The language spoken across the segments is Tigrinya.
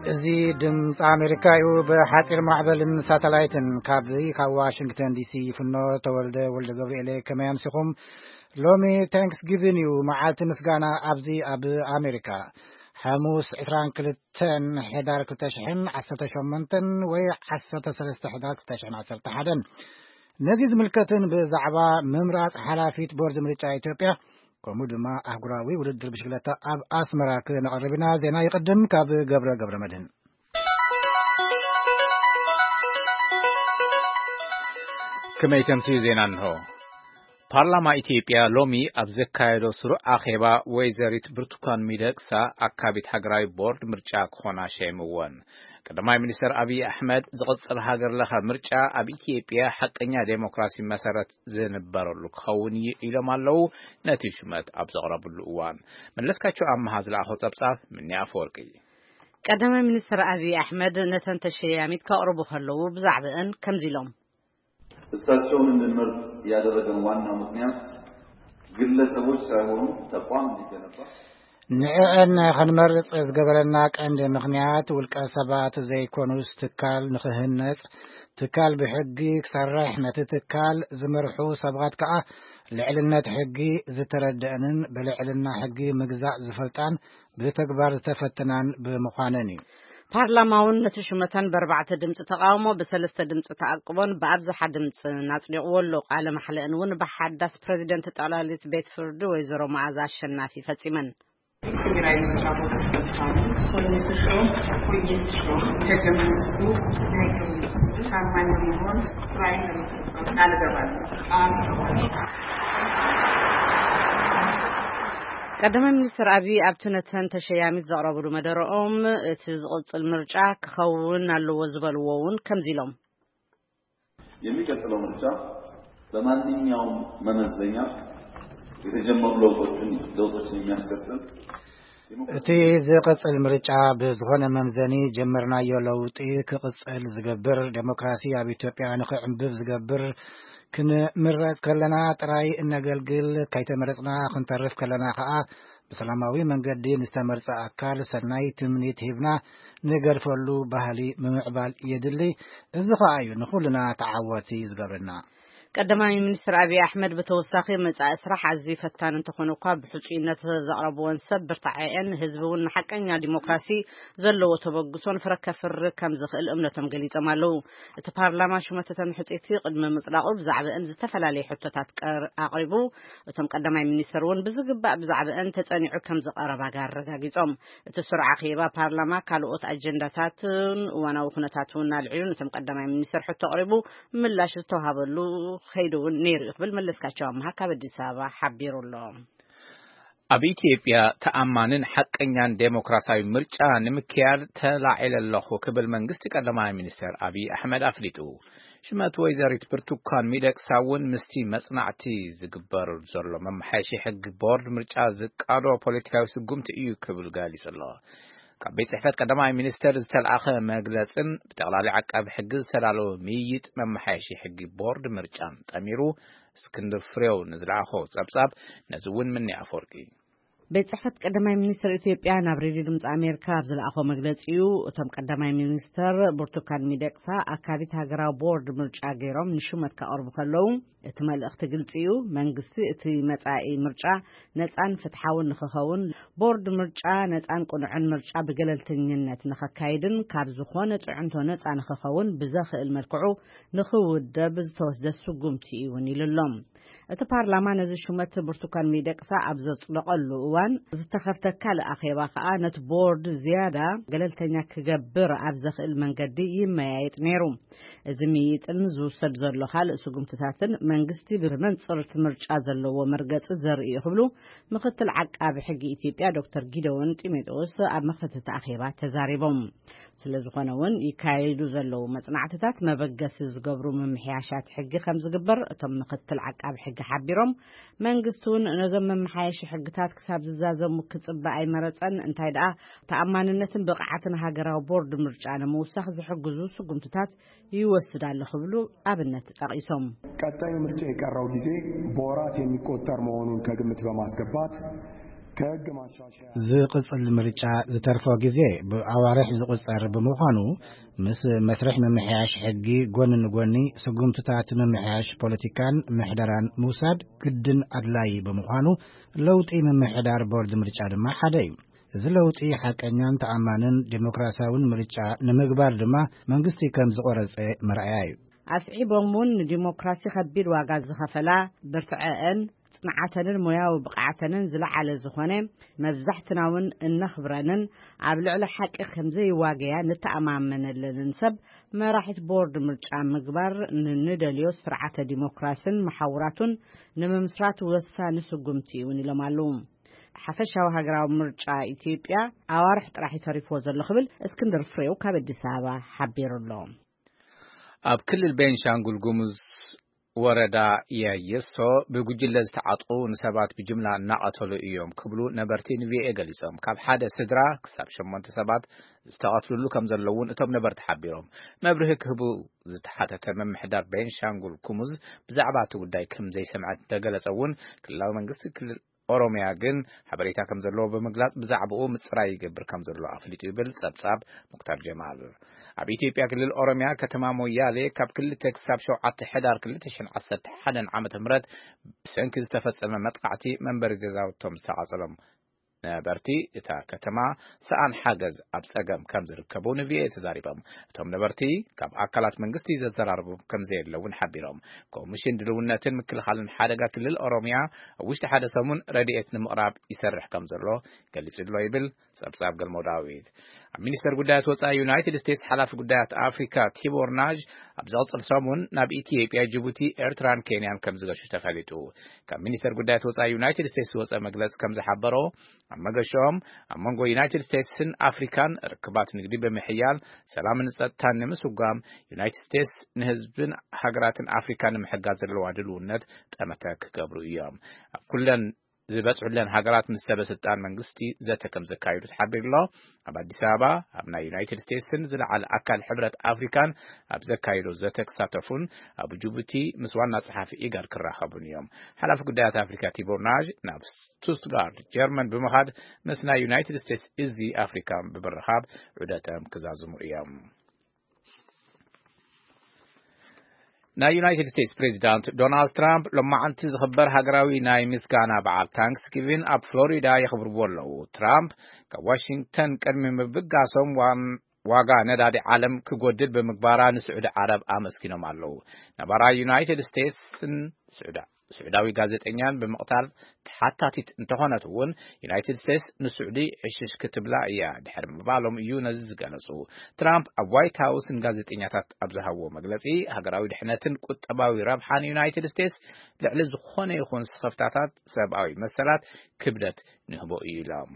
እዚ ድምፂ ኣሜሪካ እዩ። ብሓፂር ማዕበልን ሳተላይትን ካብ ካብ ዋሽንግተን ዲሲ ይፍኖ። ተወልደ ወልደ ገብርኤል፣ ከመይ ኣምሲኹም? ሎሚ ታንክስ ጊቪን እዩ፣ መዓልቲ ምስጋና ኣብዚ ኣብ ኣሜሪካ። ሓሙስ ዕስራን ክልተን ሕዳር ክልተ ሽሕን ዓሰርተ ሸሞንተን ወይ ዓሰርተ ሰለስተ ሕዳር ክልተ ሽሕን ዓሰርተ ሓደን። ነዚ ዝምልከትን ብዛዕባ ምምራፅ ሓላፊት ቦርድ ምርጫ ኢትዮጵያ፣ ከምኡ ድማ ኣህጉራዊ ውድድር ብሽክለታ ኣብ ኣስመራ ክነቕርብ ኢና። ዜና ይቕድም ካብ ገብረ ገብረ መድህን። ከመይ ተምስዩ ዜና እንሆ። ፓርላማ ኢትዮጵያ ሎሚ ኣብ ዘካየዶ ስሩዕ ኣኼባ፣ ወይዘሪት ብርቱካን ሚደቅሳ ኣካቢት ሃገራዊ ቦርድ ምርጫ ክኾና ሸይምወን። ቀዳማይ ሚኒስተር ኣብይ ኣሕመድ፣ ዝቕጽል ሃገር ለኸ ምርጫ ኣብ ኢትዮጵያ ሓቀኛ ዴሞክራሲ መሰረት ዝንበረሉ ክኸውን እዩ ኢሎም ኣለዉ፣ ነቲ ሹመት ኣብ ዘቕረብሉ እዋን። መለስካቸው ኣመሃ ዝለኣኾ ጸብጻብ ምኒ ኣፈወርቂ። ቀዳማይ ሚኒስተር ኣብይ ኣሕመድ ነተን ተሸያሚት ከቕርቡ ከለዉ ብዛዕባእን ከምዚ ኢሎም። እሳቸውን እንድንመርጥ ያደረገን ዋናው ምክንያት ግለሰቦች ሳይሆኑ ተቋም እንዲገነባ። ንዕዕን ከንመርጽ ዝገበረና ቀንዲ ምክንያት ውልቀ ሰባት ዘይኮኑስ ትካል ንክህነጽ፣ ትካል ብሕጊ ክሰርሕ፣ ነቲ ትካል ዝመርሑ ሰባት ከኣ ልዕልነት ሕጊ ዝተረደአንን ብልዕልና ሕጊ ምግዛእ ዝፈልጣን ብተግባር ዝተፈተናን ብምዃነን እዩ። ፓርላማ እውን ነቲ ሹመተን ብኣርባዕተ ድምፂ ተቃውሞ፣ ብሰለስተ ድምፂ ተኣቅቦን ብኣብዝሓ ድምፂ ኣጽዲቕዎ ኣሎ። ቃለ ማሕለአን እውን ብሓዳስ ፕረዚደንት ጠቕላሊት ቤት ፍርዲ ወይዘሮ መዓዛ ኣሸናፊ ፈጺመን። ትግራይ ምርጫ ቦርድ ኣስፈጻሚ ኮይኑ ዝሾም፣ ኮይኑ ዝሾም፣ ሕገ መንግስቱ፣ ሕገ መንግስቱ ታማኝ በመሆን ስራዬን ለመፈጸም ቃል እገባለሁ። ቃል እገባለሁ። ቀዳማይ ሚኒስትር ኣብይ ኣብቲ ነተን ተሸያሚት ዘቕረብሉ መደረኦም፣ እቲ ዝቕጽል ምርጫ ክኸውን ኣለዎ ዝበልዎ እውን ከምዚ ኢሎም። የሚቀጥለው ምርጫ በማንኛውም መመዘኛ የተጀመሩ ለውጦችን ለውጦችን የሚያስቀጥል እቲ ዝቕጽል ምርጫ ብዝኾነ መምዘኒ ጀመርናዮ ለውጢ ክቕጽል ዝገብር፣ ዴሞክራሲ ኣብ ኢትዮጵያ ንኽዕንብብ ዝገብር፣ ክንምረጽ ከለና ጥራይ እነገልግል፣ ከይተመረጽና ክንተርፍ ከለና ኸኣ ብሰላማዊ መንገዲ ንዝተመርጸ ኣካል ሰናይ ትምኒት ሂብና ንገድፈሉ ባህሊ ምምዕባል የድሊ። እዚ ኸኣ እዩ ንኹልና ተዓወቲ ዝገብረና። ቀዳማይ ሚኒስትር ኣብይ ኣሕመድ ብተወሳኺ መጻኢ ስራሕ ኣዝዩ ፈታኒ እንተኾነ እኳ ብሕጹይነት ዘቕረብወን ሰብ ብርታዐኤን ህዝቢ እውን ንሓቀኛ ዲሞክራሲ ዘለዎ ተበግሶን ፍረ ከፍሪ ከም ዝኽእል እምነቶም ገሊጾም ኣለዉ። እቲ ፓርላማ ሹመተተን ሕጽይቲ ቅድሚ ምጽዳቑ ብዛዕባእን ዝተፈላለየ ሕቶታት ቀር-፣ ኣቕሪቡ። እቶም ቀዳማይ ሚኒስትር እውን ብዝግባእ ብዛዕባእን ተጸኒዑ ከም ዝቐረባጋ ኣረጋጊጾም። እቲ ስሩዕ ኣኼባ ፓርላማ ካልኦት ኣጀንዳታትን እዋናዊ ኩነታት እውን ኣልዒሉ ነቶም ቀዳማይ ሚኒስትር ሕቶ ኣቕሪቡ ምላሽ ዝተዋሃበሉ ከይዱ እውን ነይሩ እዩ ክብል መለስካቸው ኣምሃ ካብ ኣዲስ ኣበባ ሓቢሩ ኣሎ። ኣብ ኢትዮጵያ ተኣማንን ሓቀኛን ዴሞክራሲያዊ ምርጫ ንምክያድ ተላዒለ ኣለኹ ክብል መንግስቲ ቀዳማይ ሚኒስትር ኣብይ ኣሕመድ ኣፍሊጡ። ሽመት ወይዘሪት ብርቱካን ሚደቅሳ እውን ምስቲ መጽናዕቲ ዝግበር ዘሎ መመሓየሺ ሕጊ ቦርድ ምርጫ ዝቃዶ ፖለቲካዊ ስጉምቲ እዩ ክብል ገሊጹ ኣሎ። ካብ ቤት ጽሕፈት ቀዳማይ ሚኒስተር ዝተልኣኸ መግለጽን ብጠቕላሊ ዓቃቢ ሕጊ ዝተዳለወ ምይይጥ መመሓየሺ ሕጊ ቦርድ ምርጫን ጠሚሩ እስክንድር ፍሬው ንዝለኣኾ ጸብጻብ ነዚ እውን ምኒ ኣፈወርቂ። ቤት ጽሕፈት ቀዳማይ ሚኒስትር ኢትዮጵያ ናብ ሬድዮ ድምፂ ኣሜሪካ ኣብ ዝለኣኾ መግለጺ እዩ። እቶም ቀዳማይ ሚኒስትር ብርቱካን ሚደቅሳ ኣካቢት ሃገራዊ ቦርድ ምርጫ ገይሮም ንሹመት ከቕርቡ ከለዉ፣ እቲ መልእኽቲ ግልጺ እዩ። መንግስቲ እቲ መጻኢ ምርጫ ነጻን ፍትሓውን ንኽኸውን፣ ቦርድ ምርጫ ነጻን ቅኑዕን ምርጫ ብገለልተኝነት ንኸካይድን ካብ ዝኾነ ጽዕንቶ ነጻ ንኽኸውን ብዘኽእል መልክዑ ንኽውደብ ዝተወስደ ስጉምቲ እዩ እውን ኢሉ ኣሎ። እቲ ፓርላማ ነዚ ሹመት ብርቱካን ሚደቅሳ ኣብ ዘጽደቐሉ እዋን ዝተኸፍተ ካልእ ኣኼባ ከኣ ነቲ ቦርድ ዝያዳ ገለልተኛ ክገብር ኣብ ዘኽእል መንገዲ ይመያየጥ ነይሩ። እዚ ምይይጥን ዝውሰድ ዘሎ ካልእ ስጉምትታትን መንግስቲ ብመንጽር እቲ ምርጫ ዘለዎ መርገጺ ዘርኢ እዩ ክብሉ ምኽትል ዓቃቢ ሕጊ ኢትዮጵያ ዶክተር ጊደዎን ጢሞቴዎስ ኣብ መኽፈቲ እቲ ኣኼባ ተዛሪቦም። ስለ ዝኾነ እውን ይካየዱ ዘለዉ መጽናዕትታት መበገሲ ዝገብሩ ምምሕያሻት ሕጊ ከም ዝግበር እቶም ምኽትል ዓቃቢ ሕጊ ሓቢሮም፣ መንግስቲ እውን ነዞም መመሓየሺ ሕግታት ክሳብ ዝዛዘሙ ክጽበ ኣይመረጸን፣ እንታይ ደኣ ተኣማንነትን ብቕዓትን ሃገራዊ ቦርድ ምርጫ ንምውሳኽ ዝሕግዙ ስጉምትታት ይወስድ ኣሎ ክብሉ ኣብነት ጠቒሶም። ቀጣዩ ምርጫ የቀረው ጊዜ በወራት የሚቆጠር መሆኑን ከግምት በማስገባት ከሕግ ማሻሻያ ዝቕጽል ምርጫ ዝተርፎ ግዜ ብኣዋርሕ ዝቑጸር ብምዃኑ፣ ምስ መስርሕ ምምሕያሽ ሕጊ ጎኒ ንጎኒ፣ ስጉምትታት ምምሕያሽ ፖለቲካን ምሕደራን ምውሳድ ግድን ኣድላዪ ብምዃኑ፣ ለውጢ ምምሕዳር ቦርድ ምርጫ ድማ ሓደ እዩ። እዚ ለውጢ ሓቀኛን ተኣማንን ዴሞክራሲያውን ምርጫ ንምግባር ድማ መንግስቲ ከም ዝቖረጸ መርኣያ እዩ። ኣስዒቦም እውን፣ ንዲሞክራሲ ከቢድ ዋጋ ዝኸፈላ፣ ብርትዐአን፣ ጽንዓተንን ሞያዊ ብቕዓተንን ዝለዓለ ዝኾነ፣ መብዛሕትና እውን እነኽብረንን ኣብ ልዕሊ ሓቂ ከም ዘይዋገያ ንተኣማመነለንን ሰብ መራሒት ቦርድ ምርጫ ምግባር፣ ንንደልዮ ስርዓተ ዲሞክራስን መሓውራቱን ንምምስራት ወሳኒ ስጉምቲ እውን ኢሎም ኣለዉ። ሓፈሻዊ ሃገራዊ ምርጫ ኢትዮጵያ ኣዋርሕ ጥራሕ እዩ ተሪፍዎ ዘሎ ክብል እስክንድር ፍሬው ካብ ኣዲስ ኣበባ ሓቢሩ ኣሎ። ኣብ ክልል ቤንሻንጉል ጉሙዝ ወረዳ ያየሶ ብጉጅለ ዝተዓጥቑ ንሰባት ብጅምላ እናቐተሉ እዮም ክብሉ ነበርቲ ንቪኦኤ ገሊጾም። ካብ ሓደ ስድራ ክሳብ ሸሞንተ ሰባት ዝተቐትሉሉ ከም ዘለውን እቶም ነበርቲ ሓቢሮም። መብርሂ ክህቡ ዝተሓተተ ምምሕዳር ቤንሻንጉል ጉሙዝ ብዛዕባ እቲ ጉዳይ ከም ዘይሰምዐ እንተገለጸ እውን፣ ክልላዊ መንግስቲ ክልል ኦሮሚያ ግን ሓበሬታ ከም ዘለዎ ብምግላጽ፣ ብዛዕባኡ ምጽራይ ይገብር ከም ዘሎ ኣፍሊጡ ይብል ጸብጻብ ሙክታር ጀማል። ኣብ ኢትዮጵያ ክልል ኦሮሚያ ከተማ ሞያሌ ካብ ክልተ ክሳብ ሸውዓተ ሕዳር ክልተ ሽሕን ዓሰርተ ሓደን ዓመተ ምህረት ብሰንኪ ዝተፈጸመ መጥቃዕቲ መንበሪ ገዛውቶም ዝተቓጸሎም ነበርቲ እታ ከተማ ሰኣን ሓገዝ ኣብ ጸገም ከም ዝርከቡ ንቪኦኤ ተዛሪቦም። እቶም ነበርቲ ካብ ኣካላት መንግስቲ ዘዘራርቦም ከም ዘየለ እውን ሓቢሮም። ኮሚሽን ድልውነትን ምክልኻልን ሓደጋ ክልል ኦሮሚያ ኣብ ውሽጢ ሓደ ሰሙን ረድኤት ንምቕራብ ይሰርሕ ከም ዘሎ ገሊጹ ኣሎ ይብል ጸብጻብ ገልሞ ዳዊት። ኣብ ሚኒስተር ጉዳያት ወጻኢ ዩናይትድ ስቴትስ ሓላፊ ጉዳያት ኣፍሪካ ቲቦር ናዥ ኣብ ዝቕጽል ሰሙን ናብ ኢትዮጵያ፣ ጅቡቲ፣ ኤርትራን ኬንያን ከም ዝገሹ ተፈሊጡ። ካብ ሚኒስተር ጉዳያት ወጻኢ ዩናይትድ ስቴትስ ዝወጸ መግለጺ ከም ዝሓበሮ፣ ኣብ መገሽኦም ኣብ መንጎ ዩናይትድ ስቴትስን ኣፍሪካን ርክባት ንግዲ ብምሕያል፣ ሰላምን ጸጥታን ንምስጓም፣ ዩናይትድ ስቴትስ ንህዝብን ሃገራትን ኣፍሪካ ንምሕጋዝ ዘለዋ ድልውነት ጠመተ ክገብሩ እዮም። ኣብ ኩለን ዝበጽሑለን ሃገራት ምስ ሰበ ስልጣን መንግስቲ ዘተ ከም ዘካየዱ ተሓቢሩ ኣሎ። ኣብ ኣዲስ ኣበባ ኣብ ናይ ዩናይትድ ስቴትስን ዝለዓለ ኣካል ሕብረት ኣፍሪካን ኣብ ዘካየዶ ዘተ ክሳተፉን ኣብ ጅቡቲ ምስ ዋና ጸሓፊ ኢጋድ ክራኸቡን እዮም። ሓላፊ ጉዳያት ኣፍሪካ ቲቦር ናዥ ናብ ስቱትጋርት ጀርመን ብምኻድ ምስ ናይ ዩናይትድ ስቴትስ እዚ ኣፍሪካ ብምርኻብ ዑደቶም ክዛዝሙ እዮም። ናይ ዩናይትድ ስቴትስ ፕሬዚዳንት ዶናልድ ትራምፕ ሎማዓንቲ ዝኽበር ሃገራዊ ናይ ምስጋና በዓል ታንክስጊቪን ኣብ ፍሎሪዳ የኽብርዎ ኣለዉ። ትራምፕ ካብ ዋሽንግተን ቅድሚ ምብጋሶም ዋን ዋጋ ነዳዲ ዓለም ክጎድል ብምግባራ ንስዑዲ ዓረብ ኣመስጊኖም ኣለዉ። ነባራ ዩናይትድ ስቴትስን ስዑዳ ስዑዳዊ ጋዜጠኛን ብምቕታል ተሓታቲት እንተኾነት እውን፣ ዩናይትድ ስቴትስ ንስዑዲ ዕሽሽ ክትብላ እያ ድሕሪ ምባሎም እዩ ነዚ ዝገለጹ። ትራምፕ ኣብ ዋይት ሃውስ ንጋዜጠኛታት ኣብ ዝሃብዎ መግለጺ፣ ሃገራዊ ድሕነትን ቁጠባዊ ረብሓን ዩናይትድ ስቴትስ ልዕሊ ዝኾነ ይኹን ስኽፍታታት ሰብኣዊ መሰላት ክብደት ንህቦ እዩ ኢሎም።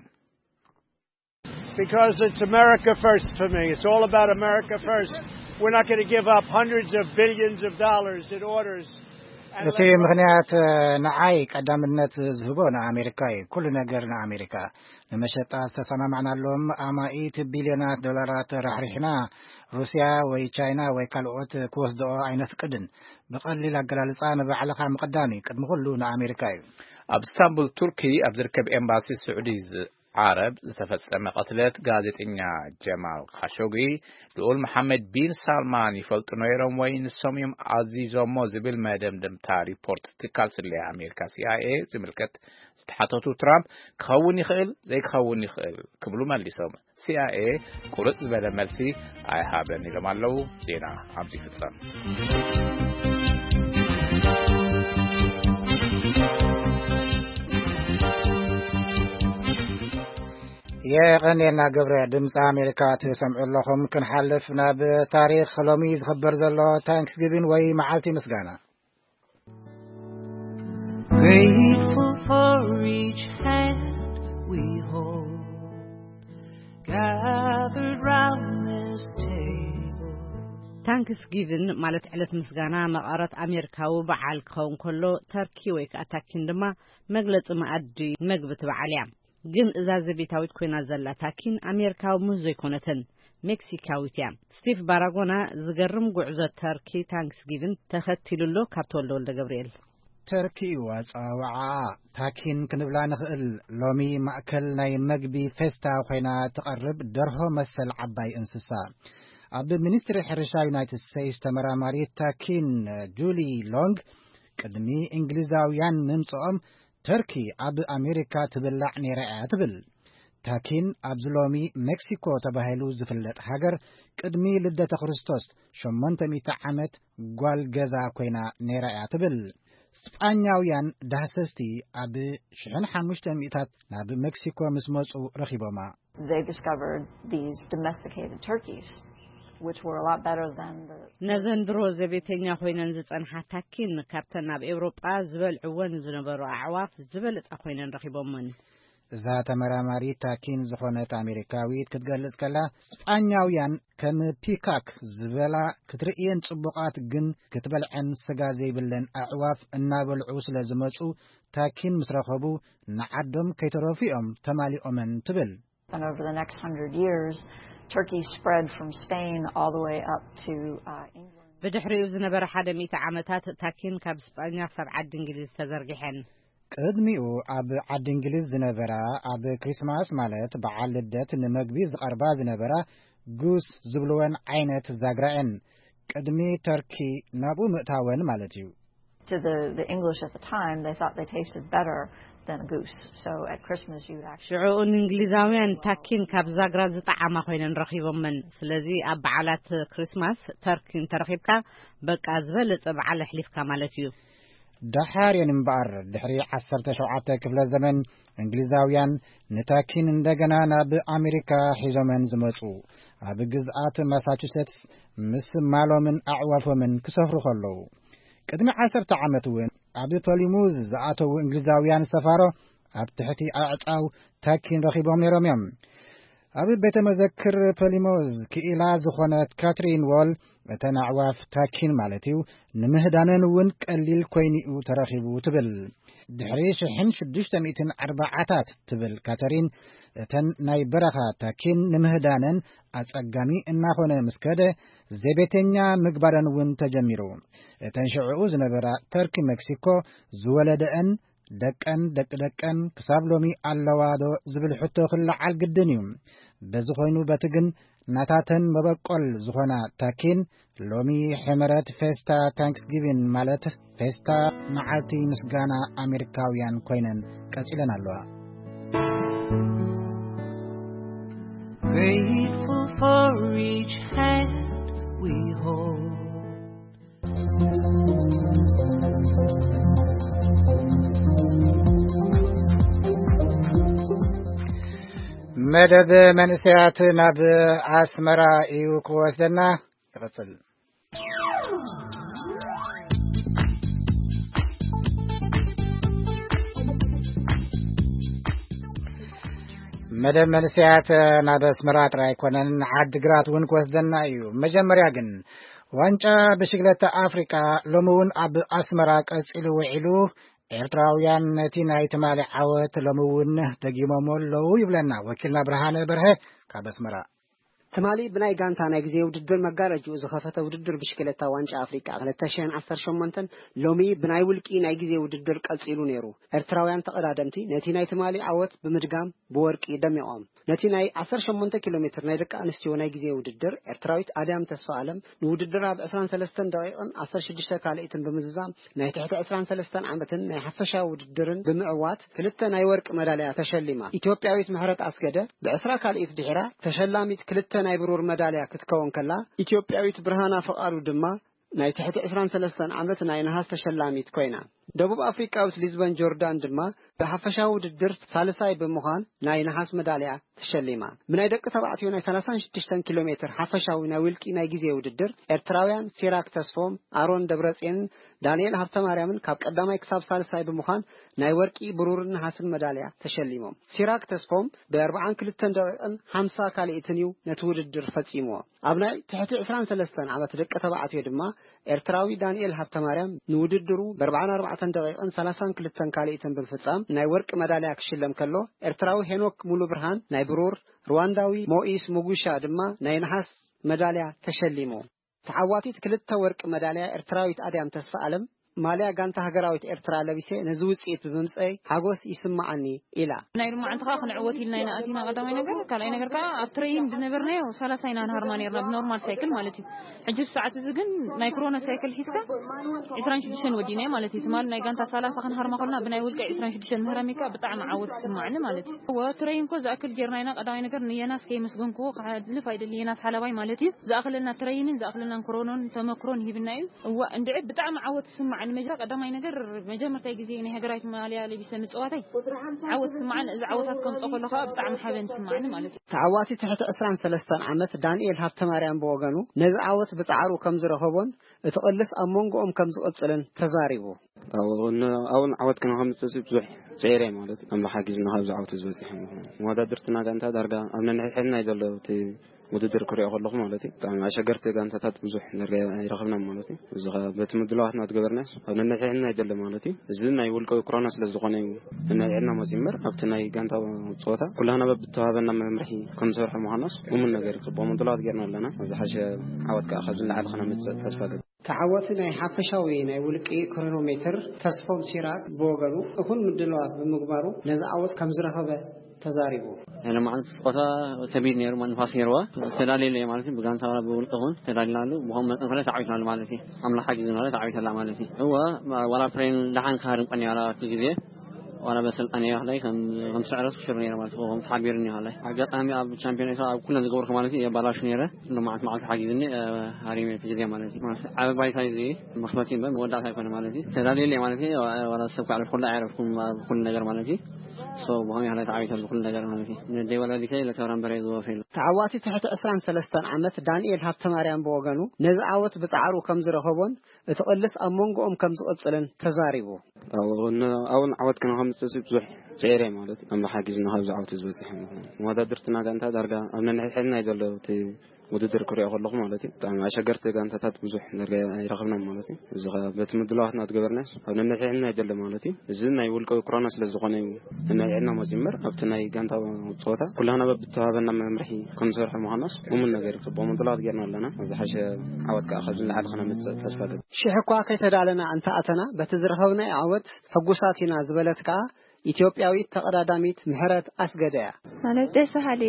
Because it's America first for me. It's all about America first. We're not going to give up hundreds of billions of dollars in orders. እቲ ምኽንያት ንዓይ ቀዳምነት ዝህቦ ንኣሜሪካ እዩ። ኩሉ ነገር ንኣሜሪካ። ንመሸጣ ዝተሰማማዕናሎም ኣማኢት ቢልዮናት ዶላራት ራሕሪሕና ሩስያ ወይ ቻይና ወይ ካልኦት ክወስድኦ ኣይነፍቅድን። ብቐሊል ኣገላልጻ ንባዕልኻ ምቕዳም እዩ። ቅድሚ ኩሉ ንኣሜሪካ እዩ። ኣብ እስታንቡል ቱርኪ ኣብ ዝርከብ ኤምባሲ ስዑዲ ዓረብ ዝተፈጸመ ቅትለት ጋዜጠኛ ጀማል ካሾጊ ልኡል መሓመድ ቢን ሳልማን ይፈልጡ ነይሮም ወይ ንሶም እዮም ኣዚዞሞ ዝብል መደምደምታ ሪፖርት ትካል ስለያ ኣሜሪካ ሲኣይኤ ዝምልከት ዝተሓተቱ ትራምፕ ክኸውን ይኽእል ዘይክኸውን ይኽእል ክብሉ መሊሶም። ሲኣይኤ ቁርጽ ዝበለ መልሲ ኣይሃበን ኢሎም ኣለዉ። ዜና ኣብዚ ይፍጸም። የቐንየልና ገብረ። ድምፂ ኣሜሪካ ትሰምዑ ኣለኹም። ክንሓልፍ ናብ ታሪክ ሎሚ ዝኽበር ዘሎ ታንክስጊቪን ወይ መዓልቲ ምስጋና። Grateful for each hand we hold, gathered round this table. ታንክስጊቭን ማለት ዕለት ምስጋና መቐረት ኣሜሪካዊ በዓል ክኸውን ከሎ፣ ተርኪ ወይ ከዓ ታኪን ድማ መግለፂ መኣዲ መግቢ እቲ በዓል እያ። ግን እዛ ዘቤታዊት ኮይና ዘላ ታኪን ኣሜሪካዊ ሙዝ ዘይኮነትን ሜክሲካዊት እያ። ስቲቭ ባራጎና ዝገርም ጉዕዞ ተርኪ ታንክስጊቭን ተኸቲሉ ኣሎ። ካብ ተወልደ ወልደ ገብርኤል። ተርኪ እዩ ኣጸዋውዓኣ። ታኪን ክንብላ ንኽእል። ሎሚ ማእከል ናይ መግቢ ፌስታ ኮይና ትቐርብ ደርሆ መሰል ዓባይ እንስሳ። ኣብ ሚኒስትሪ ሕርሻ ዩናይትድ ስቴትስ ተመራማሪት ታኪን ጁሊ ሎንግ፣ ቅድሚ እንግሊዛውያን ምምጽኦም ተርኪ ኣብ ኣሜሪካ ትብላዕ ነይራ እያ ትብል። ታኪን ኣብዚ ሎሚ ሜክሲኮ ተባሂሉ ዝፍለጥ ሃገር ቅድሚ ልደተ ክርስቶስ ሸሞንተ ሚእቲ ዓመት ጓል ገዛ ኮይና ነይራ እያ ትብል። ስጳኛውያን ዳህሰስቲ ኣብ ሽሕን ሓሙሽተ ሚእታት ናብ ሜክሲኮ ምስ መጹ ረኺቦማ። They discovered these domesticated turkeys, which were a lot better than the ነዘን ድሮ ዘቤተኛ ኮይነን ዝጸንሓ ታኪን ካብተን ኣብ ኤውሮጳ ዝበልዕወን ዝነበሩ ኣዕዋፍ ዝበለጻ ኮይነን ረኺቦመን። እዛ ተመራማሪት ታኪን ዝኾነት ኣሜሪካዊት ክትገልጽ ከላ፣ ስጳኛውያን ከም ፒካክ ዝበላ ክትርእየን ጽቡቓት ግን ክትበልዐን ስጋ ዘይብለን ኣዕዋፍ እናበልዑ ስለ ዝመጹ፣ ታኪን ምስ ረኸቡ ንዓዶም ከይተረፉ እዮም ተማሊኦመን ትብል። And over the next hundred years, turkeys spread from Spain all the way up to uh, England. ብድሕሪኡ ዝነበረ ሓደ ሚእቲ ዓመታት ታኪን ካብ ስጳኛ ክሳብ ዓዲ እንግሊዝ ተዘርጊሐን። ቅድሚኡ ኣብ ዓዲ እንግሊዝ ዝነበራ፣ ኣብ ክሪስማስ ማለት በዓል ልደት ንመግቢ ዝቐርባ ዝነበራ ጉስ ዝብልወን ዓይነት ዛግራ እየን። ቅድሚ ተርኪ ናብኡ ምእታወን ማለት እዩ። To the, the English at the time, they thought they tasted better than a goose. So at Christmas, you would actually ሽዑኡ ንእንግሊዛውያን ታኪን ካብ ዛግራ ዝጠዓማ ኮይነን ረኺቦመን። ስለዚ ኣብ በዓላት ክሪስማስ ተርኪ እንተረኺብካ፣ በቃ ዝበለጸ በዓል ኣሕሊፍካ ማለት እዩ። ደሓር እየን እምበኣር፣ ድሕሪ ዓሰርተ ሸውዓተ ክፍለ ዘመን እንግሊዛውያን ንታኪን እንደገና ናብ ኣሜሪካ ሒዞመን ዝመጹ፣ ኣብ ግዝኣት ማሳቹሴትስ ምስ ማሎምን ኣዕዋፎምን ክሰፍሩ ከለዉ። ቅድሚ ዓሰርተ ዓመት እውን ኣብ ፖሊሙዝ ዝኣተዉ እንግሊዛውያን ሰፋሮ ኣብ ትሕቲ ኣዕጻው ታኪን ረኺቦም ነይሮም እዮም። ኣብ ቤተ መዘክር ፖሊሙዝ ክኢላ ዝኾነት ካትሪን ዎል፣ እተን ኣዕዋፍ ታኪን ማለት እዩ፣ ንምህዳነን እውን ቀሊል ኮይኑ'ዩ ተረኺቡ ትብል። ድሕሪ ሽሕን ሽዱሽተ ሚእትን ኣርባዓታት ትብል ካተሪን፣ እተን ናይ በረኻ ታኪን ንምህዳነን ኣጸጋሚ እናኾነ ምስ ከደ፣ ዘቤተኛ ምግባረን እውን ተጀሚሩ። እተን ሽዕኡ ዝነበራ ተርኪ ሜክሲኮ ዝወለደአን ደቀን ደቂ ደቀን ክሳብ ሎሚ ኣለዋ ዶ ዝብል ሕቶ ክለዓል ግድን እዩ። በዚ ኮይኑ በቲ ግን ናታተን መበቆል ዝኾና ታኪን ሎሚ ሕመረት ፌስታ ታንክስጊቪን ማለት ፌስታ መዓልቲ ምስጋና ኣሜሪካውያን ኮይነን ቀጺለን ኣለዋ። Grateful for each hand we hold. መደብ መንእሰያት ናብ ኣስመራ እዩ ክወስደና። ይቕጽል። መደብ መንእሰያት ናብ ኣስመራ ጥራይ ኣይኮነን፣ ዓዲግራት እውን ክወስደና እዩ። መጀመርያ ግን ዋንጫ ብሽግለታ ኣፍሪቃ ሎሚ እውን ኣብ ኣስመራ ቀጺሉ ውዒሉ። ኤርትራውያን ነቲ ናይ ትማሊ ዓወት ሎሚ እውን ደጊሞሞ ኣለዉ ይብለና ወኪልና ብርሃነ በርሀ ካብ ኣስመራ። ትማሊ ብናይ ጋንታ ናይ ግዜ ውድድር መጋረጅኡ ዝኸፈተ ውድድር ብሽክለታ ዋንጫ ኣፍሪቃ ክልተ ሽሕን ዓሰርተ ሸሞንተን ሎሚ ብናይ ውልቂ ናይ ግዜ ውድድር ቀጺሉ ነይሩ። ኤርትራውያን ተቐዳደምቲ ነቲ ናይ ትማሊ ዓወት ብምድጋም ብወርቂ ደሚቖም። ነቲ ናይ ዓሰርተ ሸሞንተ ኪሎ ሜትር ናይ ደቂ ኣንስትዮ ናይ ግዜ ውድድር ኤርትራዊት ኣድያም ተስፋ ኣለም ንውድድር ኣብ ዕስራን ሰለስተን ደቂቕን ዓሰርተ ሽዱሽተ ካልኢትን ብምዝዛም ናይ ትሕቲ ዕስራን ሰለስተን ዓመትን ናይ ሓፈሻዊ ውድድርን ብምዕዋት ክልተ ናይ ወርቂ መዳልያ ተሸሊማ። ኢትዮጵያዊት ምሕረት ኣስገደ ብዕስራ ካልኢት ድሒራ ተሸላሚት ክልተ ናይ ብሩር መዳልያ ክትከውን ከላ፣ ኢትዮጵያዊት ብርሃና ፍቓዱ ድማ ናይ ትሕቲ ዕስራን ሰለስተን ዓመት ናይ ነሃስ ተሸላሚት ኮይና። ደቡብ ኣፍሪቃዊት ሊዝበን ጆርዳን ድማ ብሓፈሻዊ ውድድር ሳልሳይ ብምዃን ናይ ነሃስ መዳልያ ተሸሊማ። ብናይ ደቂ ተባዕትዮ ናይ ሰላሳን ሽዱሽተን ኪሎ ሜትር ሓፈሻዊ ናይ ውልቂ ናይ ግዜ ውድድር ኤርትራውያን ሲራክ ተስፎም፣ ኣሮን ደብረጽዮንን ዳንኤል ሃብተማርያምን ካብ ቀዳማይ ክሳብ ሳልሳይ ብምዃን ናይ ወርቂ፣ ብሩርን ነሃስን መዳልያ ተሸሊሞም። ሲራክ ተስፎም ብኣርብዓን ክልተን ደቂቕን ሓምሳ ካልኢትን እዩ ነቲ ውድድር ፈጺምዎ። ኣብ ናይ ትሕቲ ዕስራን ሰለስተን ዓመት ደቂ ተባዕትዮ ድማ ኤርትራዊ ዳንኤል ሃብተማርያም ንውድድሩ ብኣርብዓን ኣርባዕተን ደቂቕን ሰላሳን ክልተን ካልኢትን ብምፍጻም ናይ ወርቂ መዳልያ ክሽለም ከሎ፣ ኤርትራዊ ሄኖክ ሙሉ ብርሃን ናይ ብሩር፣ ሩዋንዳዊ ሞኢስ ሙጉሻ ድማ ናይ ነሓስ መዳልያ ተሸሊሙ። ተዓዋቲት ክልተ ወርቂ መዳልያ ኤርትራዊት ኣድያም ተስፋ ኣለም ማልያ ጋንታ ሃገራዊት ኤርትራ ለቢሰ ነዚ ውጽኢት ብምምጸይ ሓጎስ ይስምዓኒ ኢላ። ናይ ሎማዓንቲ ከዓ ክንዕወት ኢልና ኢና ኣቲና ቀዳማይ ነገር። ካልኣይ ነገር ከዓ ኣብ ትሬይን ዝነበርናዮ ሰላሳ ኢና ንሃርማ ነርና ብኖርማል ሳይክል ማለት እዩ። ሕጂ ሰዓት እዚ ግን ናይ ኮሮና ሳይክል ሒዝካ ዕስራን ሽዱሽተን ወዲእናዮ ማለት እዩ። ትማሊ ናይ ጋንታ ሰላሳ ክንሃርማ ከለና ብናይ ውልቀ ዕስራን ሽዱሽተን ምህራሚካ ብጣዕሚ ዓወት ይስማዓኒ ማለት እዩ። እወ ትሬይን ኮ ዝኣክል ጌርና ኢና። ቀዳማይ ነገር ንየናስ ከይመስገንክዎ ክሓልፍ ኣይደሊ። የናስ ሓላባይ ማለት እዩ። ዝኣክለና ትሬይንን ዝኣክለና ኮሮኖን ተመክሮን ሂብና እዩ። እዋ እንድዒ ብጣዕሚ ዓወት ይስማዓኒ። መጀመርያ ቀዳማይ ነገር መጀመርታይ ግዜ ናይ ሃገራዊት ማልያ ለቢሰ ምጽዋተይ ዓወት ይስማዓኒ። እዚ ዓወታት ከምጽኦ ከሎ ከዓ ብጣዕሚ ሓበን ይስማዓኒ ማለት እዩ። ተዓዋቲ ትሕቲ ዕስራን ሰለስተን ዓመት ዳንኤል ሃብተማርያም ብወገኑ ነዚ ዓወት ብጻዕሩ ከም ዝረኸቦን እቲ ቅልስ ኣብ መንጎኦም ከም ዝቕጽልን ተዛሪቡ። ኣብን ዓወት ክነኸምፅእ ብዙሕ ፀይረ ማለት ኣምላኽ ሓጊዙ ንካብ ዝዓወት ዝበፅሐ። መወዳድርትና ጋንታ ዳርጋ ኣብ ነንሕድሕድና እዩ ዘሎ። እቲ ውድድር ክሪኦ ከለኹ ማለት እዩ ብጣዕሚ ኣሸገርቲ ጋንታታት ብዙሕ ዳርጋ ኣይረኸብና ማለት እዩ። እዚ ኸ በቲ ምድላዋትና ትገበርናስ ኣብ ነንሕድሕድና እዩ ዘሎ ማለት እዩ። እዚ ናይ ውልቀዊ ኮሮና ስለ ዝኾነ እዩ ነንሕድሕድና መፂ እምበር ኣብቲ ናይ ጋንታ ፀወታ ኩላህና በብተዋህበና መምርሒ ክንሰርሖ ምዃናስ እሙን ነገር እዩ። ፅቡቕ ምድላዋት ጌርና ኣለና። ኣብ ዝሓሸ ዓወት ከዓ ካብ ዝለዓለ ክነምፅእ ተስፋ ገብ ተዓወቲ ናይ ሓፈሻዊ ናይ ውልቂ ክሮኖሜትር ተስፎም ሲራክ ብወገኑ እኹል ምድላዋት ብምግባሩ ነዚ ዓወት ከም ዝረኸበ ተዛሪቡ። ሎማዓንቲ ስቆታ ከቢድ ነይሩ፣ ንፋስ ነይርዋ። ተዳልየለ ማለት እዩ፣ ብጋንታ ብውልቂ እውን ተዳሊናሉ። ብኸም መጠን ከለ ተዓዊትናሉ ማለት እዩ። ኣምላኽ ሓጊዙ ማለት ተዓዊተላ ማለት እዩ። እወ፣ ዋላ ፕሬን ደሓን ክሃድም ቀኒ ዋላ እቲ ግዜ ዋላ በሰልጣን እየ ከላይ ከም ከም ስዕረት ክሽር ነይረ ማለት እዩ። ከም ተሓቢሩ እኒኦ ከላይ ኣጋጣሚ ኣብ ቻምፒዮን ኤስያ ኣብ ኩለን ዝገበርኩ ማለት እዩ የባላሹ ነይረ። ሎማዓንቲ መዓልቲ ሓጊዙኒ ሃሪመ እቲ ግዜ ማለት እዩ። ማለት ዓቢ ባይታ እዩ እዚ መኽፈቲ እምበር መወዳእታ ኣይኮነ ማለት እዩ። ተዳልየለ ማለት እዩ። ዋላ ሰብ ክዕረፍ ኩሉ ኣይዕረፍኩም ኣብ ኩሉ ነገር ማለት እዩ። ሶ ብኸመይ ከላይ ተዓዊተሉ ኩሉ ነገር ማለት እዩ። ንደይ ወላዲተይ ለተብራን በረ ዝወፈ ኢሉ። ተዓዋቲ ትሕቲ ዕስራን ሰለስተን ዓመት ዳንኤል ሃብተማርያም ብወገኑ ነዚ ዓወት ብጻዕሩ ከም ዝረኸቦን እቲ ቅልስ ኣብ መንጎኦም ከም ዝቕጽልን ተዛሪቡ። ኣብን ዓወት ክነኸምፅእ ብዙሕ ፀይረ ማለት ኣምላኽ ሓጊዙ ንካብ ዝዓወት ዝበፅሐ። መወዳድርትና ጋንታ ዳርጋ ኣብ ነንሕድሕድና እዩ ዘሎ። እቲ ውድድር ክሪኦ ከለኹ ማለት እዩ ብጣዕሚ ኣሸገርቲ ጋንታታት ብዙሕ ዳርጋ ኣይረኸብና ማለት እዩ። እዚ ኸ በቲ ምድላዋትና ትገበርናስ ኣብ ነንሕድሕድና እዩ ዘሎ ማለት እዩ። እዚ ናይ ውልቀዊ ኮሮና ስለ ዝኾነ እዩ ነንሕድሕድና መፂ እምበር ኣብቲ ናይ ጋንታ ፀወታ ኩላህና በብተዋህበና መምርሒ ክንሰርሖ ምዃናስ እሙን ነገር እዩ። ፅቡቕ ምድላዋት ጌርና ኣለና። ኣብ ዝሓሸ ዓወት ከዓ ካብ ዝለዓለ ክነምፅእ ተስፋ ገብ ሽሕ እኳ ከይተዳለና እንተኣተና በቲ ዝረኸብናዮ ዓወት ሕጉሳት ኢና ዝበለት ከኣ ኢትዮጵያዊት ተቐዳዳሚት ምሕረት ኣስገደ እያ። ማለት ደስ በሃሊ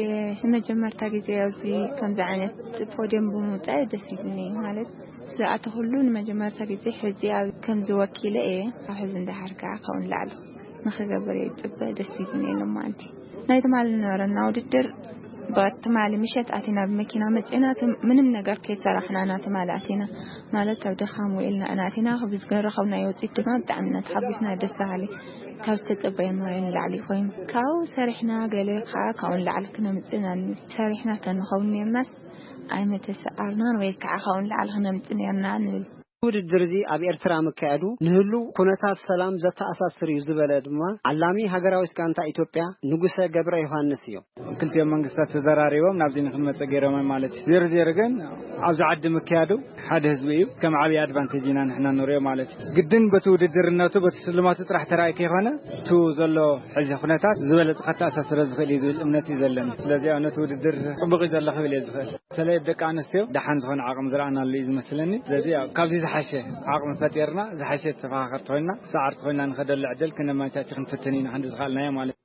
መጀመርታ ግዜ ኣብዚ ከምዚ ዓይነት ፖድየም ብምውፃእ ደስ ይብልኒ። ማለት ዝኣተኹሉ ንመጀመርታ ግዜ ሕዚ ኣብ ከምዚ ወኪለ እየ። ካብ ሕዚ እንዳሓር ከዓ ካብኡ ንላዕሊ ንኽገብር እየ ዝፅበ። ደስ ይብልኒ ሎማዓንቲ ናይ ትማሊ ዝነበረና ውድድር ብትማሊ ምሸት ኣቲና ብመኪና መፂና ምንም ነገር ከይሰራሕና ኢና ትማሊ ኣቲና። ማለት ኣብ ድኻም ውዒልና ኢና ኣቲና። ብዝረኸብናዮ ውፅኢት ድማ ብጣዕሚ ኢና ተሓጒስና። ደስ በሃሊ ካብ ዝተፀበየናዮ ንላዕሊ ኮይኑ ካብኡ ሰሪሕና ገለ ከዓ ካብኡ ንላዕሊ ክነምፅእ ኢና ንብል። ሰሪሕና ተንኸውን ነርናስ ኣይመተሰኣርናን ወይ ከዓ ካብኡ ንላዕሊ ክነምፅእ ነርና ንብል። ውድድር እዚ ኣብ ኤርትራ ምካየዱ ንህሉ ኩነታት ሰላም ዘተኣሳስር እዩ ዝበለ ድማ ዓላሚ ሃገራዊት ጋንታ ኢትዮጵያ ንጉሰ ገብረ ዮሃንስ እዩ። ክልቲኦም መንግስታት ተዘራሪቦም ናብዚ ንክንመፀ ገይሮም ማለት እዩ። ዜሮ ዜሮ ግን ኣብዚ ዓዲ ምክያዱ ሓደ ህዝቢ እዩ። ከም ዓብዪ ኣድቫንቴጅ ኢና ንሕና ንሪኦ ማለት እዩ። ግድን በቲ ውድድርነቱ በቲ ስልማቱ ጥራሕ ተራእይ ከይኮነ እቱ ዘሎ ሕዚ ኩነታት ዝበለፀ ከተኣሳስረ ዝኽእል እዩ ዝብል እምነት እዩ ዘለኒ። ስለዚ ነቲ ውድድር ፅቡቅ እዩ ዘሎ ክብል እየ ዝኽእል። በተለይ ደቂ ኣንስትዮ ደሓን ዝኾነ ዓቕሚ ዝረኣናሉ እዩ ዝመስለኒ። ስለዚ ያው ካብዚ ዝሓሸ ዓቕሚ ፈጢርና ዝሓሸ ተፈኻኸርቲ ኮይና ሰዓርቲ ኮይና ንኸደሉ ዕድል ክነመቻች ክንፍትን ኢና ክንዲ ዝኸኣልናዮ ማለት እዩ።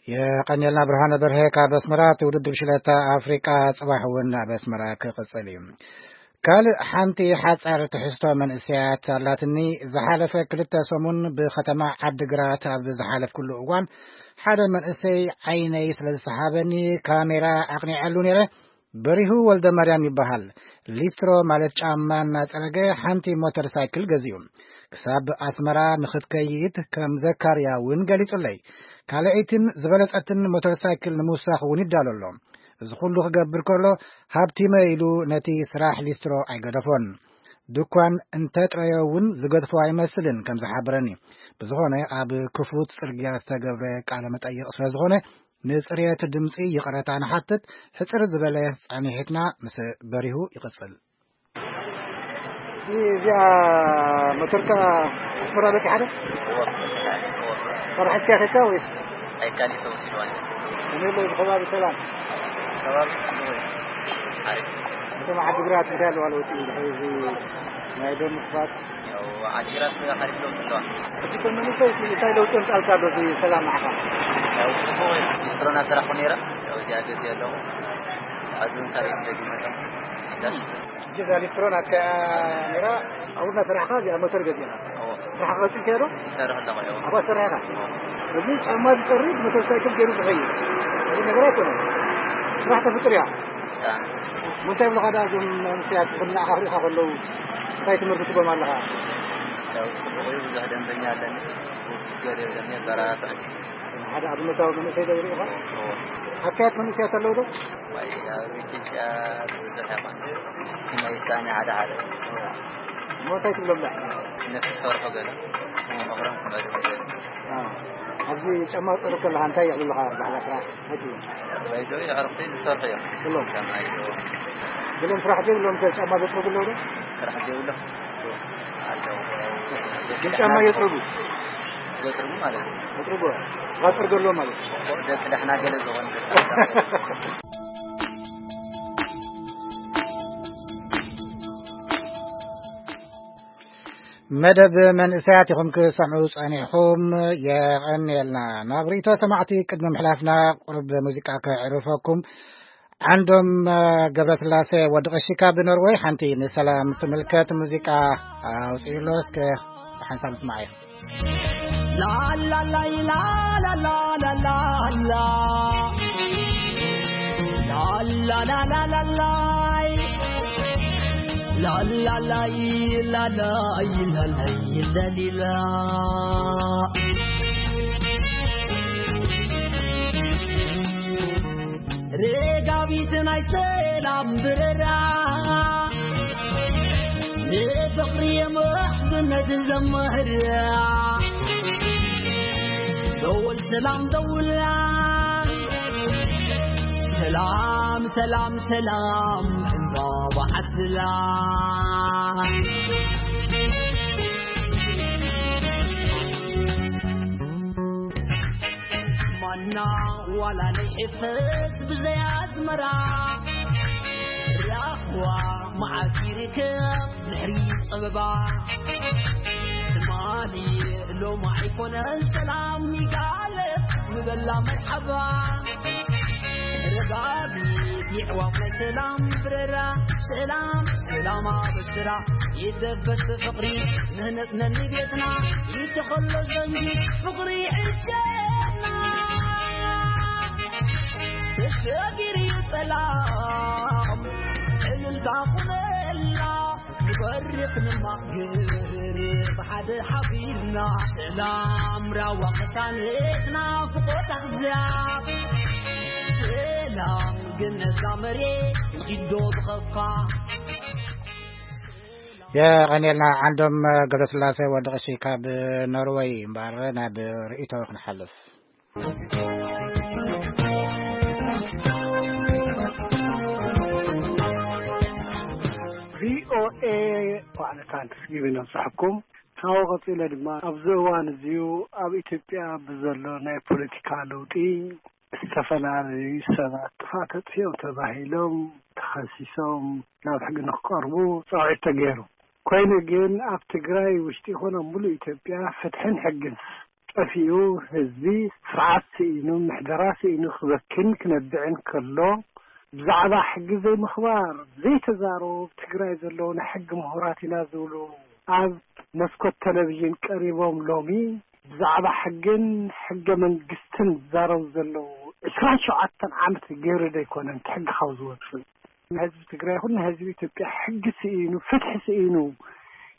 የቐንየልና ብርሃነ በርሀ ካብ ኣስመራ። እቲ ውድድር ሽለታ ኣፍሪቃ ጽባሕ እውን ኣብ ኣስመራ ክቕጽል እዩ። ካልእ ሓንቲ ሓጻር ትሕዝቶ መንእሰያት ኣላትኒ። ዝሓለፈ ክልተ ሰሙን ብከተማ ዓዲግራት ኣብ ዝሓለፍኩሉ እዋን ሓደ መንእሰይ ዓይነይ ስለ ዝሰሓበኒ ካሜራ ኣቕኒዐሉ ነይረ። በሪሁ ወልደ ማርያም ይበሃል። ሊስትሮ ማለት ጫማ እናጸረገ ሓንቲ ሞተር ሳይክል ገዚኡ ክሳብ ኣስመራ ንኽትከይድ ከም ዘካርያ እውን ገሊጹለይ። ካልኣይትን ዝበለጸትን ሞተር ሳይክል ንምውሳኽ እውን ይዳሎ ኣሎ። እዚ ኩሉ ክገብር ከሎ ሃብቲመ ኢሉ ነቲ ስራሕ ሊስትሮ ኣይገደፎን። ድኳን እንተጥረዮ እውን ዝገድፎ ኣይመስልን ከም ዝሓበረኒ። ብዝኾነ ኣብ ክፉት ጽርግያ ዝተገብረ ቃለ መጠይቕ ስለ ዝኾነ ንጽሬት ድምጺ ይቕረታ ንሓትት። ሕጽር ዝበለ ጻኒሒትና ምስ በሪሁ ይቕጽል። እዚኣ ሞተርካ ኣስመራ በጺሓ ዶ? ካብ ሓዝካ ከይድካ ወይስ? ኣይካል ሰው ሲሉ ኣለ። ከመይ ኣሎ እዚ ከባቢ ሰላም? ከባቢ ጽቡቕ እዩ። ኣሪፍ። ከተማ ዓዲግራት እንታይ ኣለዋ ለውጢ ድሕሪ እዚ ናይ ደም ምኽፋት? ዓዲግራት ሓሪፍሎም ኣለዋ። ሕጂ ከም መንእሰይ እቲ እንታይ ለውጢ የምጻልካ ኣሎ እዚ ሰላም ንዓኻ? ያው ጽቡቕ እዩ። ሊስትሮና ሰራሕኩ ነይረ። ያው እዚኣ ገዜ ኣለኹ። ኣብዚ እውን ካልእ ደጊመ ኣለኹ። ሕጂ እዛ ሊስትሮ ናትካ እያ ነይራ። ኣብኡ እናሰራሕካ እዚኣ ሞተር ገዚእኻ። እዎ። ስራሕ ቀጺልካዮ ዶ? ይሰርሕ ኣለኹ፣ እዎ። ኣብኣ ትሰርሕ ኢኻ? እዎ። እዚ ጫማ ዝጸርግ ሞተር ሳይክል ገይሩ ዝኸይድ። እዚ ነገር ኣይኮነን። ስራሕ ተፍጥር እያ። ብጣዕሚ። እንታይ ይብሉኻ ደኣ እዞም መንእሰያት፣ እዞም ንዓኻ ክሪኡኻ ከለዉ እንታይ ትምህርቲ ትህቦም ኣለኻ? ያው ጽቡቕ እዩ፣ ብዙሕ ደንበኛ ኣለኒ። ገር የብለኒ፣ ኣበራታታዕ። ሓደ ኣብነታዊ መንእሰይ ዶ ይሪኢኻ? እዎ። ኣካያት መንእሰያት ኣለዉ ዶ? ዋይ፣ ኣብ ኢትዮጵያ ብዙሕ ኣይኮነን። ናይ ውሳኔ ሓደ ሓደ። እሞ እንታይ ትብሎም ደኣ? ነቲ ዝሰርሖ ገለ መቕረም ክመልስ ይደሊ። ኣዎ። ኣብዚ ጫማ ትጸርግ ከለኻ እንታይ ይብሉኻ ብዛዕባ ስራሕ? እንታይ ትብሎም? ባይዘው የዕርኽቲ ዝሰርሑ እዮም። ብሎም? ከማይ ዶ? ብሎም ስራሕ ዘይብሎም ከ ጫማ ዘጽርጉ ኣለዉ ዶ? ስራሕ ዘይብሎም? ኣለዉ። ግን ጫማ የጽርጉ? ዘጽርጉ ማለት እዩ። ዘጽርጉ? ዘጽርጉ ኣለዉ ማለት እዩ። ደቂ ደሕና ገለ ዝኾነ ደቂ መደብ መንእሰያት ኢኹም ክሰምዑ ጸኒሕኹም። የቐንየልና። ናብ ርእይቶ ሰማዕቲ ቅድሚ ምሕላፍና ቁሩብ ሙዚቃ ከዕርፈኩም። ዓንዶም ገብረስላሴ ወዲ ቀሺ ካብ ኖርወይ ሓንቲ ንሰላም ትምልከት ሙዚቃ ኣውጺኡ ኣሎ። እስከ ብሓንሳብ ንስማዓዮ። ላላላይ ላላላላላ። ላላላላላይ። ላላላይ ላላይ ላላይ ለሊላ። ርጋቢት ናይ ሰላም ብረራ፣ ንፍቕሪ የምሕዝነት ዘምህራ። ደወል ሰላም ደውላ፣ ሰላም ሰላም ሰላም ዕምባባ ዓድላ። ማና ዋላ ናይ ሕፈስ ብዘይ ኣዝመራ፣ ራህዋ መዓስ ይርከብ ድሕሪ ጸበባ። ትማሊ ሎሚ ኣይኮነን ሰላም ይጋለ ምበላ መርሓባ። ረጋቢ የዕዋፍ ናይ ሰላም ብረራ፣ ሰላም ሰላም ኣበስራ። ይደበስ ፍቕሪ ምህነጽ ነኒ ቤትና፣ ይተኸሎ ዘንጊ ፍቕሪ ዕጀና። ተሸጊሪ ጸላም ዕልልታ ኩነላ፣ ንበርኽ ንማግር ብሓደ ሓቢርና። ሰላም ራዋ ቅሳነት ናፍቆት ኣሕዛብ፣ ሰላም ግን ነዛ መሬት ኪዶ ብኸፋ። የቐንየልና ዓንዶም ገብረስላሴ ወዲ ቀሺ ካብ ኖርወይ። እምበኣር ናብ ርእይቶ ክንሓልፍ። ቪኦኤ ዋዕለታን ትስጊቢ ነብጽሐኩም። ካብኡ ቀጺለ ድማ ኣብዚ እዋን እዚዩ ኣብ ኢትዮጵያ ብዘሎ ናይ ፖለቲካ ለውጢ ዝተፈላለዩ ሰባት ጥፋእ ተጥፊኦም ተባሂሎም ተኸሲሶም ናብ ሕጊ ንክቀርቡ ጻውዒት ተገይሩ። ኮይኑ ግን ኣብ ትግራይ ውሽጢ ይኹን ኣብ ሙሉእ ኢትዮጵያ ፍትሕን ሕግን ጠፊኡ፣ ህዝቢ ስርዓት ስኢኑ፣ ምሕደራ ስኢኑ ክበክን ክነብዕን ከሎ፣ ብዛዕባ ሕጊ ዘይምኽባር ዘይተዛረቡ ኣብ ትግራይ ዘለዉ ናይ ሕጊ ምሁራት ኢና ዝብሉ ኣብ መስኮት ቴሌቪዥን ቀሪቦም ሎሚ ብዛዕባ ሕግን ሕገ መንግስትን ዝዛረቡ ዘለዉ ዕስራን ሸውዓተን ዓመት ገይሩ ዶ ኣይኮነን እቲ ሕጊ ካብ ዝወፅእ? ንህዝቢ ትግራይ ይኹን ንህዝቢ ኢትዮጵያ ሕጊ ስኢኑ፣ ፍትሒ ስኢኑ፣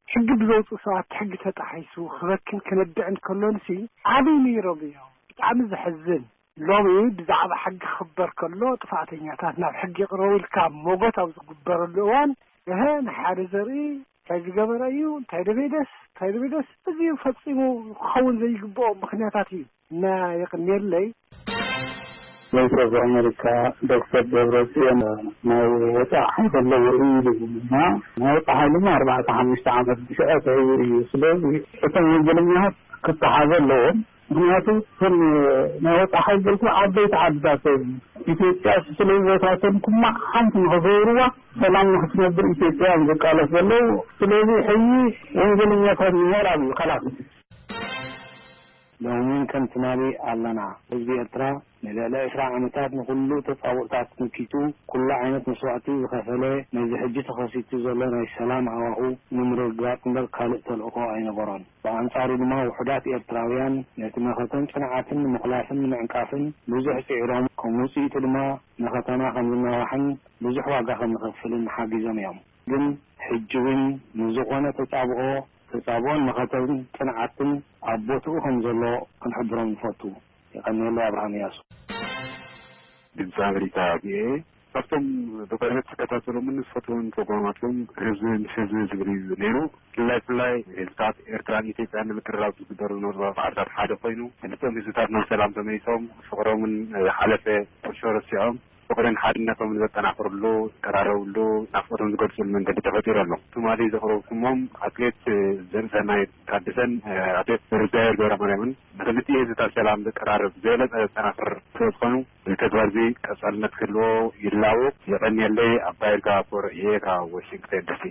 ሕጊ ብዘውፅኡ ሰባት ሕጊ ተጣሒሱ ክበክን ክነብዕን ከሎንሲ ዓብዪ ነይሮም እዮም። ብጣዕሚ ዘሕዝን። ሎሚ ብዛዕባ ሕጊ ክኽበር ከሎ ጥፋእተኛታት ናብ ሕጊ ይቕረቡ ኢልካ ሞጎት ኣብ ዝግበረሉ እዋን፣ እሀ፣ ንሓደ ዘርኢ እንታይ ዝገበረ እዩ፣ እንታይ ደበይደስ፣ እንታይ ደበይደስ፣ እዚ ፈጺሙ ክኸውን ዘይግብኦ ምኽንያታት እዩ እና የቕንየለይ። ቮይስ ኦፍ ኣሜሪካ ዶክተር ደብረጽዮን ናይ ወጻኢ ሓይሊ ኣለዎ እዩ ይብል እና ናይ ወጻኢ ሓይሊ ድማ ኣርባዕተ ሓሙሽተ ዓመት ብሽዐ ተይሩ እዩ። ስለዚ እቶም ወንጀለኛታት ክተሓዙ ኣለዎም። ምክንያቱ እቶም ናይ ወፃኢ ሓይልቲ ዓበይቲ ዓድታት እዮም። ኢትዮጵያ ስለዚ ቦታቶም ኩማዕ ሓንቲ ንኸገብርዋ ሰላም ንክትነብር ኢትዮጵያ እዮም ዝቃለስ ዘለዉ። ስለዚ ሕጂ ወንጀለኛታት ምሁር ኣብ ከላስ። ሎሚ ከም ትማሊ ኣለና። ህዝቢ ኤርትራ ንልዕሊ ዕስራ ዓመታት ንኹሉ ተጻብኦታት መኪቱ፣ ኩሉ ዓይነት መስዋእቲ ዝኸፈለ፣ ነዚ ሕጂ ተኸሲቱ ዘሎ ናይ ሰላም ሃዋሁ ንምርግጋጽ እምበር ካልእ ተልእኾ ኣይነበሮን። ብኣንጻሩ ድማ ውሑዳት ኤርትራውያን ነቲ መኸተን ጽንዓትን ንምኹላፍን ንምዕንቃፍን ብዙሕ ጽዒሮም፣ ከም ውጽኢቱ ድማ መኸተና ከም ዝናዋሕን ብዙሕ ዋጋ ከም ንኸፍልን ሓጊዞም እዮም። ግን ሕጂ እውን ንዝኾነ ተጻብኦ፣ ተጻብኦን መኸተን ጽንዓትን ኣብ ቦትኡ ከም ዘሎ ክንሕብሮም ንፈቱ። የቐንየለይ። ኣብርሃም እያሱ። ድምፂ ኣሜሪካ ቪኦኤ። ካብቶም ብቅርበት ዝከታተሎምን ዝፈትዎን ፕሮግራማትኩም ህዝቢ ምስ ህዝቢ ዝብል እዩ ነይሩ። ብፍላይ ብፍላይ ህዝብታት ኤርትራን ኢትዮጵያን ንምቅርራብ ዝግበር ዝነበሩ ፃዕርታት ሓደ ኮይኑ፣ ክልቲኦም ህዝብታት ናብ ሰላም ተመሊሶም ፍቅሮምን ዝሓለፈ ቁርሾ ረሲዖም ፍቅርን ሓድነቶም ዘጠናኽርሉ፣ ዝቀራረብሉ፣ ናፍቆቶም ዝገልፅሉ መንገዲ ተፈጢሩ ኣሎ። ትማሊ ዘቕረብኩሞም ኣትሌት ዘርእሰናይ ታደሰን ኣትሌት ርዳኤል ገብረማርያምን ንክልቲኡ ህዝብታት ሰላም ዘቀራርብ ዝበለፀ ዘጠናኽር ስለ ዝኾኑ፣ እዚ ተግባር እዚ ቀፃልነት ክህልዎ ይላቦ። የቐንየለይ። ኣባይ ይርጋ ኣቦር እየ ካብ ዋሽንግተን ዲሲ።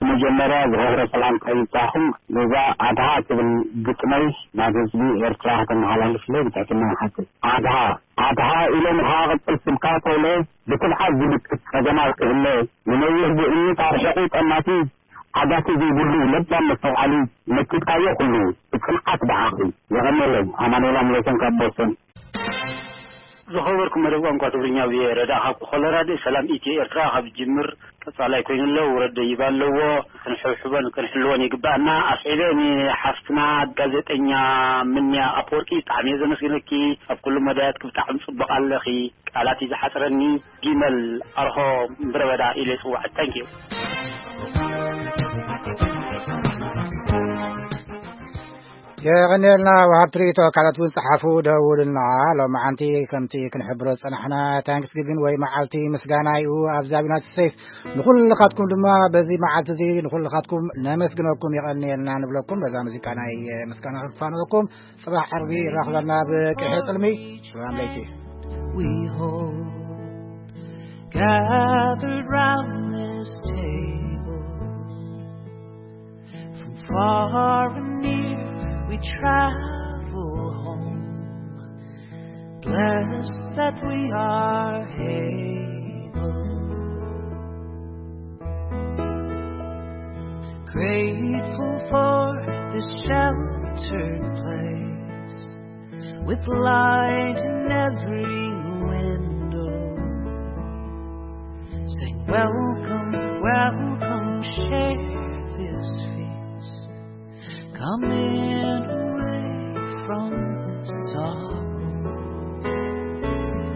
መጀመርያ ዝኸብረ ሰላምታ ይብጻሕኩም። ነዛ ኣድሃ ትብል ግጥመይ ናብ ህዝቢ ኤርትራ ከተመሓላልፍለይ ብትሕትና ይሓትት። ኣድሃ፣ ኣድሃ ኢለ ንኸኣ ቅጽል ስምካ ተውለ ብትብዓት ዝምክት ጸገማት ክህለ፣ ንነዊሕ ብእምኒት ኣርሒቑ ጠማቲ ዓጋቲ ዘይብሉ ለባም መስተውዓሊ መኪትካዮ ኩሉ ብጽንዓት ደሓኺ። የቐንየለይ። ኣማኑኤል ኣምለሰን ካብ ቦስተን። ዝኸበርኩም መደብ ቋንቋ ትግርኛ ቪኦኤ ረዳ ካብ ኮሎራዶ ሰላም ኢትዮ ኤርትራ ካብ ጅምር ቀጻላይ ኮይኑ ኣሎ። ውረድ ደይባ ኣለዎ። ክንሕብሕቦን ክንሕልዎን ይግባኣና። ኣስዒበ ንሓፍትና ጋዜጠኛ ምንያ ኣፈወርቂ ብጣዕሚ እየ ዘመስግነኪ። ኣብ ኩሉ መዳያትኪ ብጣዕሚ ጽቡቕ ኣለኺ። ቃላት እዩ ዝሓጽረኒ። ጊመል ኣርሆ ምድረ በዳ ኢለ ይጽውዓ። ታንኪዩ። የቐንየልና። ወሃብቲ ርእይቶ ካልኦት እውን ጸሓፉ፣ ደውሉልና። ሎማዓንቲ ከምቲ ክንሕብሮ ዝጸናሕና ታንክስጊቪን ወይ መዓልቲ ምስጋና እዩ ኣብዚ ኣብ ዩናይትድ ስቴትስ። ንኹልኻትኩም ድማ በዚ መዓልቲ እዚ ንኹልኻትኩም ነመስግነኩም፣ የቐንየልና ንብለኩም። በዛ ሙዚቃ ናይ ምስጋና ክንፋነወኩም። ጽባሕ ዓርቢ ይራኽበና ብቅሒ ጽልሚ። ሰላም ለይቲ። We hold gathered round this table. From far and near we travel home. Blessed that we are able. Grateful for this sheltered place with light in every window. Saying, "Welcome, welcome, share this feast. Come in away from the sorrow."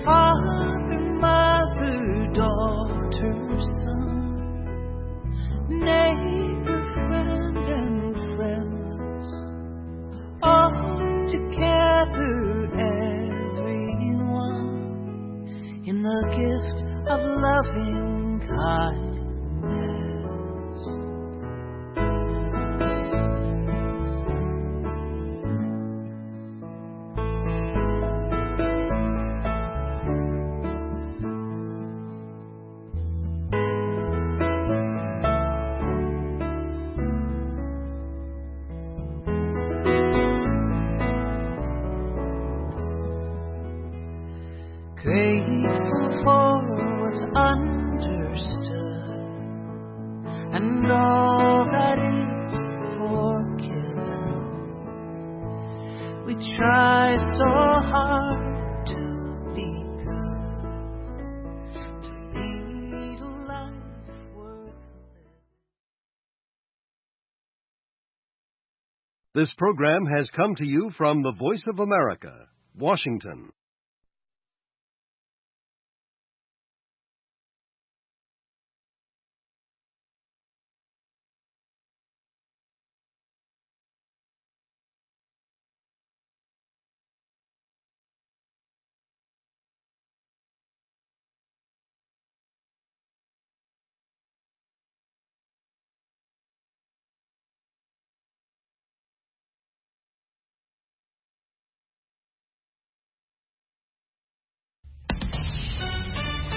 Father, mother, daughter, son, neighbor, friend, and friends, all together, everyone, in the gift of loving kindness. Grateful for what's understood and all that is forgiven. We try so hard to be good, to lead a life worth living. This program has come to you from the Voice of America, Washington.